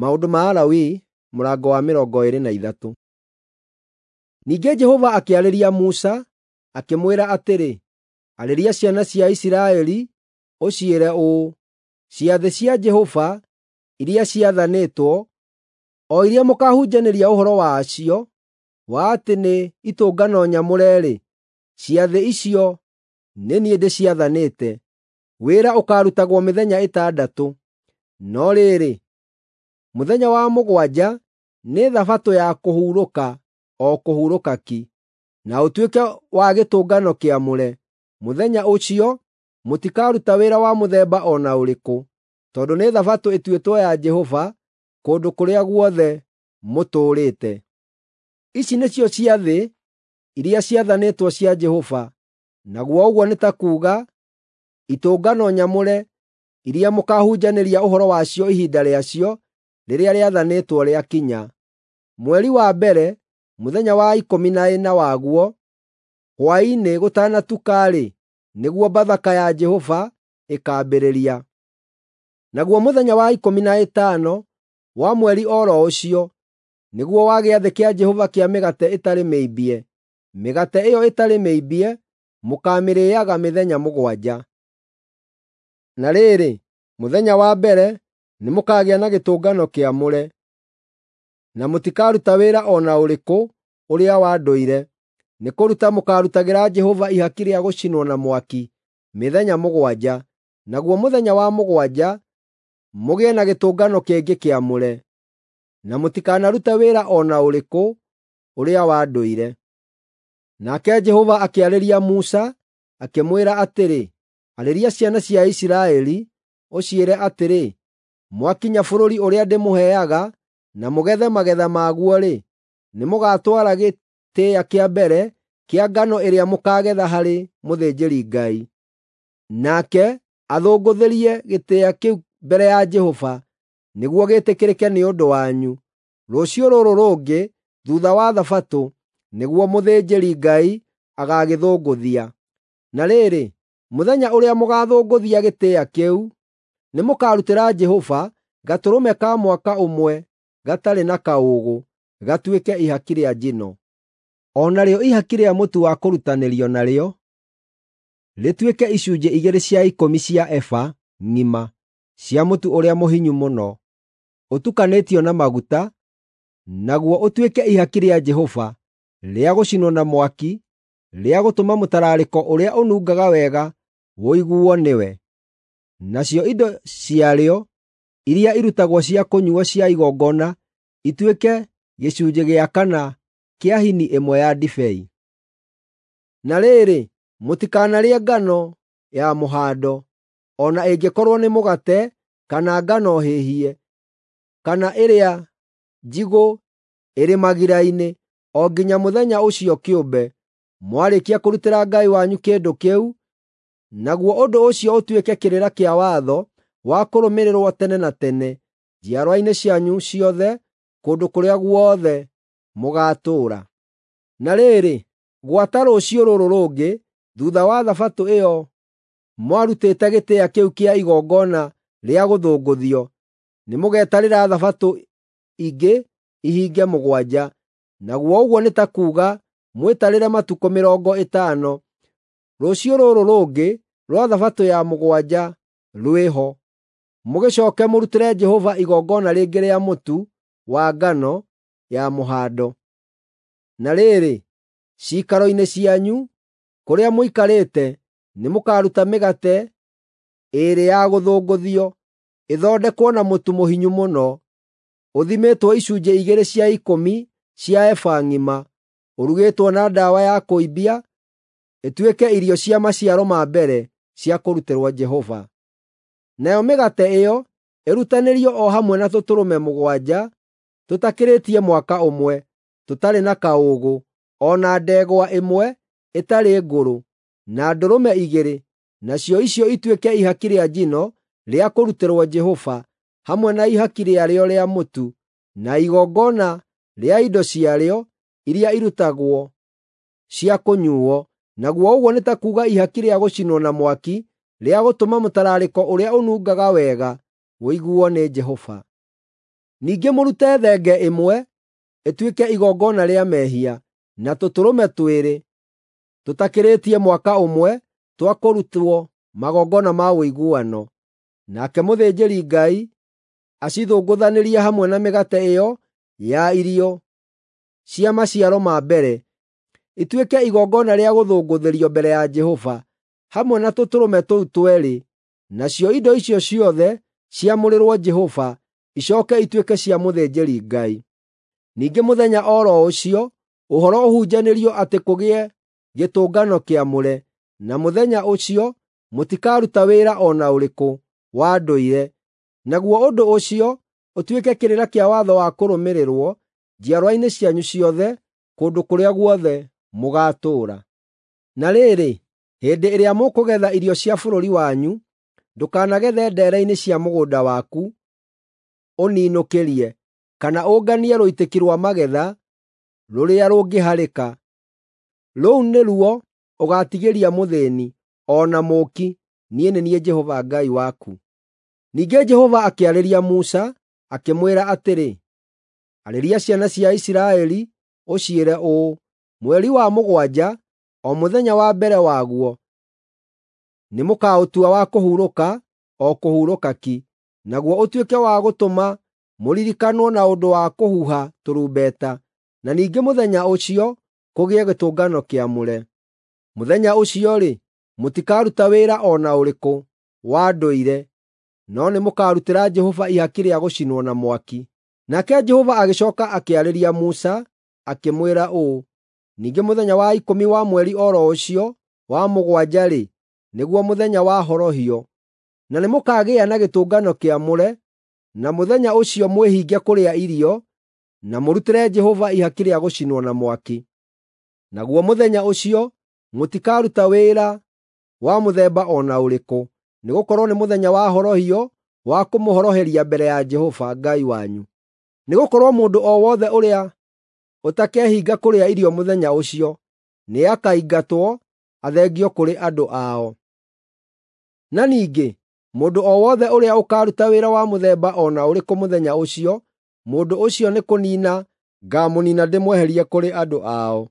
Maũndũ ma Alawii mũrango wa 23. Ningĩ Jehova akĩarĩria Musa, akĩmwĩra atĩrĩ, “Arĩria ciana cia Isiraeli ũciĩre ũũ: Ciathĩ cia Jehova iria ciathanĩtwo, o iria mũkaahunjanĩria ũhoro wacio wa atĩ nĩ itũngano nyamũre-rĩ, ciathĩ icio nĩ niĩ ndĩciathanĩte. Wĩra ũkaarutagwo mĩthenya ĩtandatũ, no rĩrĩ, mũthenya wa mũgwanja nĩ Thabatũ ya kũhurũka o kũhurũka ki, na ũtuĩke wa gĩtũngano kĩamũre. Mũthenya ũcio mũtikaruta wĩra wa mũthemba o na ũrĩkũ, tondũ nĩ Thabatũ ĩtuĩtwo ya Jehova kũndũ kũrĩa guothe mũtũũrĩte. Ici nĩcio ciathĩ iria ciathanĩtwo cia Jehova, naguo ũguo nĩ ta kuuga itũngano nyamũre iria mũkaahunjanĩria ũhoro wacio ihinda rĩacio rĩrĩa rĩathanĩtwo rĩakinya. Mweri wa mbere, mũthenya wa 14 waguo, hwaĩ-inĩ gũtanatuka-rĩ, nĩguo Bathaka ya Jehova ĩkaambĩrĩria. Naguo mũthenya wa 15 wa mweri o ro ũcio nĩguo wa gĩathĩ kĩa Jehova kĩa mĩgate ĩtarĩ mĩimbie. Mĩgate ĩyo ĩtarĩ mĩimbie mũkaamĩrĩĩaga mĩthenya mũgwanja. Na rĩrĩ, mũthenya wa mbere nĩmũkagĩa na gĩtũngano kĩamũre, na mũtikaruta wĩra o na ũrĩkũ ũrĩa wa ndũire. Nĩkũruta mũkaarutagĩra Jehova ihaki rĩa gũcinwo na mwaki mĩthenya mũgwanja, naguo mũthenya wa mũgwanja mũgĩe na gĩtũngano kĩngĩ kĩamũre, na mũtikanarute wĩra o na ũrĩkũ ũrĩa wa ndũire. Nake Jehova akĩarĩria Musa, akĩmwĩra atĩrĩ, “Arĩria ciana cia Isiraeli, ũciĩre atĩrĩ, ‘Mwakinya bũrũri ũrĩa ndĩmũheaga na mũgethe magetha maguo-rĩ, nĩmũgatwara gĩtĩĩa kĩa mbere kĩa ngano ĩrĩa mũkaagetha harĩ mũthĩnjĩri-Ngai. Nake athũngũthĩrie gĩtĩĩa kĩu mbere ya Jehova nĩguo gĩtĩkĩrĩke nĩ ũndũ wanyu. Rũciũ rũrũ rũngĩ thuutha wa Thabatũ nĩguo mũthĩnjĩri-Ngai agaagĩthũngũthia. Na rĩrĩ, mũthenya ũrĩa mũgaathũngũthia gĩtĩĩa kĩu, nĩmũkarutĩra Jehova gatũrũme ka mwaka ũmwe gatarĩ na kaũũgũ, gatuĩke ihaki rĩa njino. O narĩo ihaki rĩa mũtu wa kũrutanĩrio narĩo rĩtuĩke icunjĩ igĩrĩ cia ikũmi cia eba ng'ima cia mũtu ũrĩa mũhinyu mũno, ũtukanĩtio na maguta, naguo ũtuĩke ihaki rĩa Jehova rĩa gũcinwo na mwaki, rĩa gũtũma mũtararĩko ũrĩa ũnungaga wega ũiguo nĩwe. Nacio indo ciarĩo iria irutagwo cia kũnyuuo cia igongona ituĩke gĩcunjĩ gĩa kana kĩa hini ĩmwe ya ndibei. Na rĩrĩ, mũtikanarĩe ngano ya mũhando, o na ĩngĩkorwo nĩ mũgate kana ngano hĩhie, kana ĩrĩa njigũ ĩrĩ magira-inĩ, o nginya mũthenya ũcio kĩũmbe, mwarĩkia kũrutĩra Ngai wanyu kĩndũ kĩu, naguo ũndũ ũcio ũtuĩke kĩrĩra kĩa watho wa kũrũmĩrĩrwo tene na tene njiarwa-inĩ cianyu ciothe kũndũ kũrĩa guothe mũgaatũũra. Na rĩrĩ, gwata rũciũ rũrũ rũngĩ thuutha wa Thabatũ ĩyo mwarutĩte gĩtĩĩa kĩu kĩa igongona rĩa gũthũngũthio, nĩmũgetarĩra Thabatũ ingĩ ihinge mũgwanja, naguo ũguo nĩ ta kuuga mwĩtarĩre matukũ 50. Rũciũ rũrũ rũngĩ rwa Thabatũ ya mũgwanja rwĩho, mũgĩcooke mũrutĩre Jehova igongona rĩngĩ rĩa mũtu wa ngano ya mũhando. Na rĩrĩ, ciikaro-inĩ cianyu kũrĩa mũikarĩte nĩmũkaruta mĩgate ĩĩrĩ ya gũthũngũthio, ĩthondekwo na mũtu mũhinyu mũno, ũthimĩtwo icunjĩ igĩrĩ cia ikũmi cia eba ng'ima, ũrugĩtwo na ndawa ya kũimbia, ĩtuĩke irio cia maciaro ma mbere cia kũrutĩrwo Jehova. Nayo mĩgate ĩyo ĩrutanĩrio o hamwe na tũtũrũme mũgwanja tũtakĩrĩtie mwaka ũmwe, tũtarĩ na kaũũgũ, o na ndegwa ĩmwe ĩtarĩ ngũrũ, na ndũrũme igĩrĩ, nacio icio ituĩke ihaki rĩa njino rĩa kũrutĩrwo Jehova, hamwe na ihaki rĩarĩo rĩa mũtu, na igongona rĩa indo ciarĩo iria irutagwo cia kũnyuuo, naguo ũguo nĩ ta kuuga ihaki rĩa gũcinwo na mwaki rĩa gũtũma mũtararĩko ũrĩa ũnungaga wega ũiguo nĩ Jehova. Ningĩ mũrute thenge ĩmwe ĩtuĩke igongona rĩa mehia, na tũtũrũme twĩrĩ tũtakĩrĩtie mwaka ũmwe twa kũrutwo magongona ma ũiguano. Nake mũthĩnjĩri-Ngai acithũngũthanĩrie hamwe na mĩgate ĩyo ya irio cia maciaro ma mbere, ituĩke igongona rĩa gũthũngũthĩrio mbere ya Jehova, hamwe na tũtũrũme tũu tweerĩ. Nacio indo icio ciothe ciamũrĩrwo Jehova, icooke ituĩke cia mũthĩnjĩri-Ngai. Ningĩ mũthenya o ro ũcio ũhoro ũhunjanĩrio atĩ kũgĩe gĩtũngano kĩamũre, na mũthenya ũcio mũtikaruta wĩra o na ũrĩkũ wa ndũire. Naguo ũndũ ũcio ũtuĩke kĩrĩra kĩa watho wa kũrũmĩrĩrwo njiarwa-inĩ cianyu ciothe kũndũ kũrĩa guothe mũgaatũũra. Na rĩrĩ, hĩndĩ ĩrĩa mũkũgetha irio cia bũrũri wanyu, ndũkanagethe ndeere-inĩ cia mũgũnda waku ũninũkĩrie, kana ũnganie rũitĩki rwa magetha rũrĩa rũngĩharĩka. Rũu nĩruo ũgaatigĩria mũthĩĩni o na mũũki. Niĩ nĩ niĩ Jehova Ngai waku. Ningĩ Jehova akĩarĩria Musa, akĩmwĩra atĩrĩ, Arĩria ciana cia Isiraeli ũciĩre ũũ: Mweri wa mũgwanja, o mũthenya wa mbere waguo, nĩmũkaũtua wa kũhurũka, o kũhurũka ki, naguo ũtuĩke wa gũtũma mũririkanwo na ũndũ wa kũhuha tũrumbeta, na ningĩ mũthenya ũcio kũgĩe gĩtũngano kĩamũre. Mũthenya ũcio-rĩ, mũtikaruta wĩra o na ũrĩkũ wa ndũire, no nĩmũkarutĩra Jehova ihaki rĩa gũcinwo na mwaki. Nake Jehova agĩcooka akĩarĩria Musa, akĩmwĩra ũũ: Ningĩ mũthenya wa ikũmi wa mweri o ro ũcio wa mũgwanja-rĩ, nĩguo mũthenya wa horohio, na nĩmũkagĩa na gĩtũngano kĩamũre, na mũthenya ũcio mwĩhinge kũrĩa irio, na mũrutĩre Jehova ihaki rĩa gũcinwo na mwaki. Naguo mũthenya ũcio mũtikaruta wĩra wa mũthemba o na ũrĩkũ, nĩgũkorwo nĩ mũthenya wa horohio wa kũmũhoroheria mbere ya Jehova Ngai wanyu. Nĩgũkorwo mũndũ o wothe ũrĩa ũtakehinga kũrĩa irio mũthenya ũcio nĩakaingatwo athengio kũrĩ andũ ao. Na ningĩ mũndũ o wothe ũrĩa ũkaaruta wĩra wa mũthemba o na ũrĩkũ mũthenya ũcio, mũndũ ũcio nĩkũniina ngaamũniina ndĩmweherie kũrĩ andũ ao.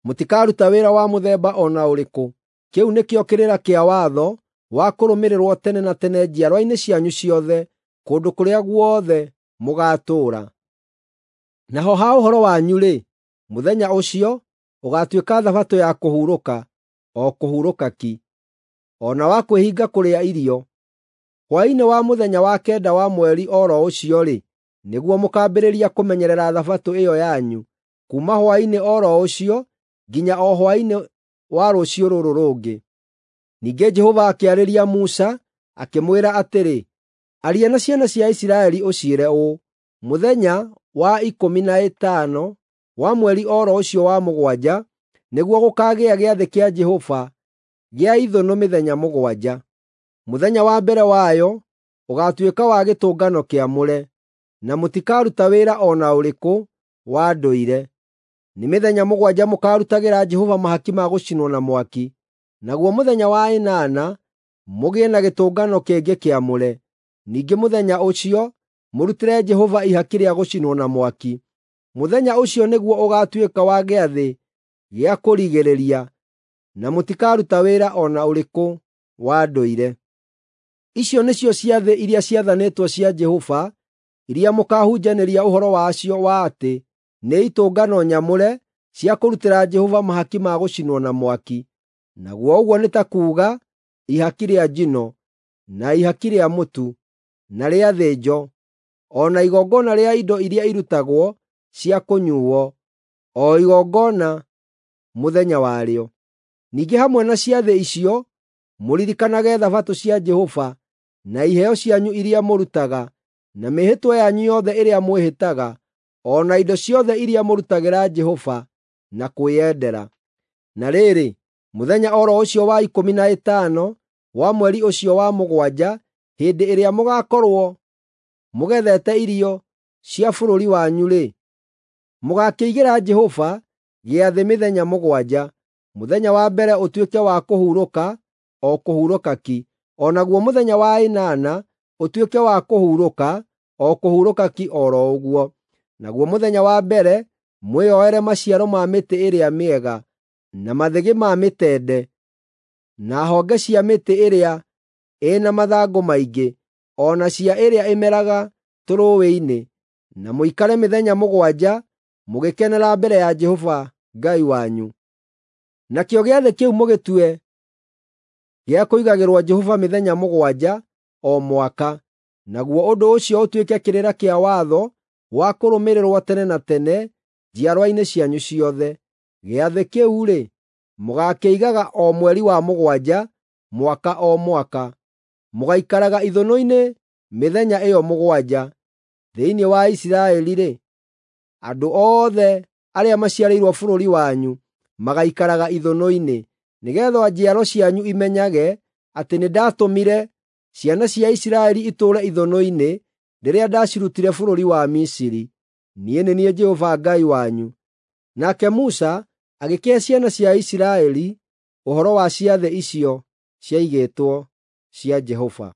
Mũtikaruta wĩra wa mũthemba o na ũrĩkũ. Kĩu nĩkĩo kĩrĩra kĩa watho wa kũrũmĩrĩrwo tene na tene njiarwa-inĩ cianyu ciothe kũndũ kũrĩa guothe mũgaatũũra. Naho ha ũhoro wanyu-rĩ, mũthenya ũcio ũgaatuĩka Thabatũ ya kũhurũka, o kũhurũka ki, o na wa kwĩhinga kũrĩa irio. Hwaĩ-inĩ wa mũthenya wa kenda wa mweri o ro ũcio-rĩ, nĩguo mũkaambĩrĩria kũmenyerera Thabatũ ĩyo yanyu, kuuma hwaĩ-inĩ o ro ũcio nginya o hwaĩ-inĩ wa rũciũ rũrũ rũngĩ. Ningĩ Jehova akĩarĩria Musa, akĩmwĩra atĩrĩ, Aria na ciana cia Isiraeli ũciĩre ũũ: Mũthenya wa ikũmi na ĩtano wa mweri o ro ũcio wa mũgwanja nĩguo gũkaagĩa gĩathĩ kĩa Jehova gĩa ithũnũ mĩthenya mũgwanja. Mũthenya wa mbere wayo ũgaatuĩka wa gĩtũngano kĩamũre, na mũtikaruta wĩra o na ũrĩkũ wa ndũire. Nĩ mĩthenya mũgwanja mũkaarutagĩra Jehova mahaki ma gũcinwo na mwaki, naguo mũthenya wa ĩnana mũgĩe na gĩtũngano kĩngĩ kĩamũre. Ningĩ mũthenya ũcio mũrutĩre Jehova ihaki rĩa gũcinwo na mwaki. Mũthenya ũcio nĩguo ũgaatuĩka wa gĩathĩ gĩa kũrigĩrĩria, na mũtikaruta wĩra o na ũrĩkũ wa ndũire. Icio nĩcio ciathĩ iria ciathanĩtwo cia Jehova iria mũkaahunjanĩria ũhoro wacio wa atĩ nĩ itũngano nyamũre cia kũrutĩra Jehova mahaki ma gũcinwo na mwaki, naguo ũguo nĩ ta kuuga ihaki rĩa njino, na ihaki rĩa mũtu, na rĩa thĩnjo, o na igongona rĩa indo iria irutagwo cia kũnyuuo, o igongona mũthenya warĩo. Ningĩ hamwe na ciathĩ icio mũririkanage Thabatũ cia Jehova, na iheo cianyu iria mũrutaga, na mĩĩhĩtwa yanyu yothe ĩrĩa mwĩhĩtaga, o na indo ciothe iria mũrutagĩra Jehova na kwĩyendera. Na rĩrĩ, mũthenya o ro ũcio wa ikũmi na ĩtano wa mweri ũcio wa mũgwanja, hĩndĩ ĩrĩa mũgaakorwo mũgethete irio cia bũrũri wanyu-rĩ, mũgaakĩigĩra Jehova gĩathĩ mĩthenya mũgwanja. Mũthenya wa mbere ũtuĩke wa kũhurũka, o kũhurũka ki, o naguo mũthenya wa ĩnana ũtuĩke wa kũhurũka, o kũhurũka ki o ro ũguo. Naguo mũthenya wa mbere mwĩyoere maciaro ma mĩtĩ ĩrĩa mĩega, na mathĩgĩ ma mĩtende, na honge cia mĩtĩ ĩrĩa ĩna mathangũ maingĩ, o na cia ĩrĩa ĩmeraga tũrũũĩ-inĩ, na mũikare mĩthenya 7 mũgĩkenera mbere ya Jehova Ngai wanyu. Nakĩo gĩathĩ kĩu mũgĩtue gĩa kũigagĩrwo Jehova mĩthenya 7 o mwaka, naguo ũndũ ũcio ũtuĩke kĩrĩra kĩa watho wa kũrũmĩrĩrwo tene na tene njiarwa-inĩ cianyu ciothe. Gĩathĩ kĩu-rĩ, mũgaakĩigaga o mweri wa 7 mwaka o mwaka. Mũgaikaraga ithũnũ-inĩ mĩthenya ĩyo 7. Thĩinĩ wa Isiraeli-rĩ, andũ othe arĩa maciarĩirwo bũrũri wanyu magaikaraga ithũnũ-inĩ, nĩgeetha njiaro cianyu imenyage atĩ nĩndatũmire ciana cia Isiraeli itũũre ithũnũ-inĩ rĩrĩa ndacirutire bũrũri wa Misiri. Niĩ nĩ niĩ Jehova Ngai wanyu. Nake Musa agĩkĩhe ciana cia Isiraeli ũhoro wa ciathĩ icio ciaigĩtwo cia Jehova.